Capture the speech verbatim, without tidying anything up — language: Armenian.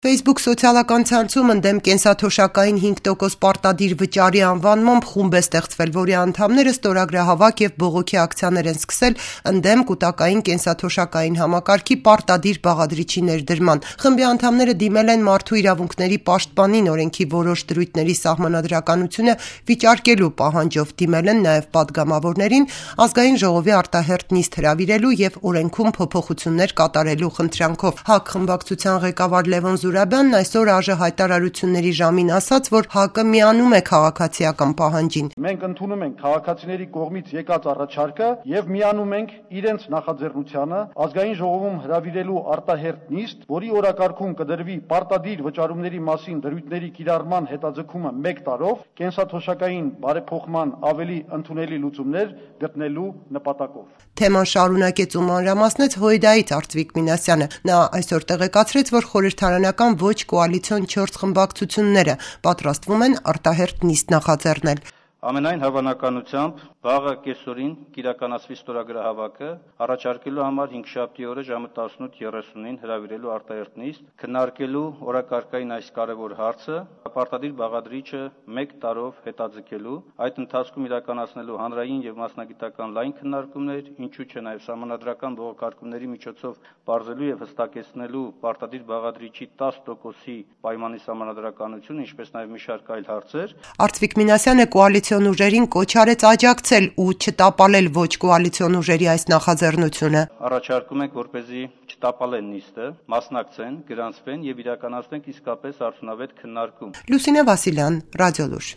Facebook սոցիալական ցանցում ընդդեմ կենսաթոշակային հինգ տոկոս պարտադիր վճարի անվանմամբ խումբ է ստեղծվել, որի անդամները ստորագրահավաք և բողոքի ակցիաներ են սկսել ընդդեմ կուտակային կենսաթոշակային համակարգի պարտադիր բաղադրիչի ներդրման։ Խմբի անդամները դիմել են Մարդու իրավունքների պաշտպանին օրենքի որոշ դրույթների սահմանադրականությունը վիճարկելու պահանջով, դիմել են նաև պատգամավորներին Ազգային ժողովի արտահերթ նիստ հրավիրելու և օրենքում փոփոխություններ կատարելու խնդրանքով։ ՀԱԿ խմբակցության ղեկավար Լևոն Զուրաբյանն այսօր ԱԺ հայտարարությունների ժամին ասաց, որ ՀԱԿ-ը միանում է քաղաքացիական պահանջին։ Մենք ընդունում ենք քաղաքացիների կողմից եկած առաջարկը եւ միանում ենք իրենց նախաձեռնությանը Ազգային ժողովում հրավիրելու արտահերթ նիստ, որի օրակարգում կդրվի պարտադիր վճարումների մասին դրույթների կիրառման հետաձգումը մեկ տարով, կենսաթոշակային բարեփոխման ավելի ընդունելի լուծումներ գտնելու նպատակով։ Թեման շարունակեց ու մանրամասնեց ՀՅԴ-ից Արծվիկ Մինասյանը։ Նա այսօր տեղեկացրեց, որ խորհրդարանական ոչ կոալիցիոն չորս խմբակցությունները պատրաստվում են արտահերթ նիստ նախաձեռնել։ Ամենայն հավանականությամբ վաղը կեսօրին կիրականացվի ստորագրահավաքը, առաջարկելու համար հինգշաբթի օրը ժամը տասնութ երեսունին հրավիրելու արտահերթ նիստ, քննարկելու օրակարգային այս կարևոր հարցը, պարտադիր բաղադրիչը մեկ տարով հետաձգելու, այդ ընթացքում իրականացնելու հանրային եւ մասնագիտական լայն քննարկումներ, ինչու չէ նաեւ սահմանադրական բողոքարկումների միջոցով բարձելու եւ հստակեցնելու պարտադիր բաղադրիչի տասը տոկոսի պայմանի սահմանադրականությունը, ինչպես նաեւ մի շարք այլ հարցեր։ Արծվիկ Մինասյանը կոալիցիոն ուժերին կոչ արեց աջակցել ու չտապալել ոչ կոալիցիոն ուժերի այս նախաձեռնությունը։ Առաջարկում ենք, որպեսզի չտապալեն նիստը, մասնակցեն, գրանցվեն եւ իրականացնենք իսկապես արդյունավետ քննարկում։ Լուսինե Վասիլյան, Ռադիոլուր։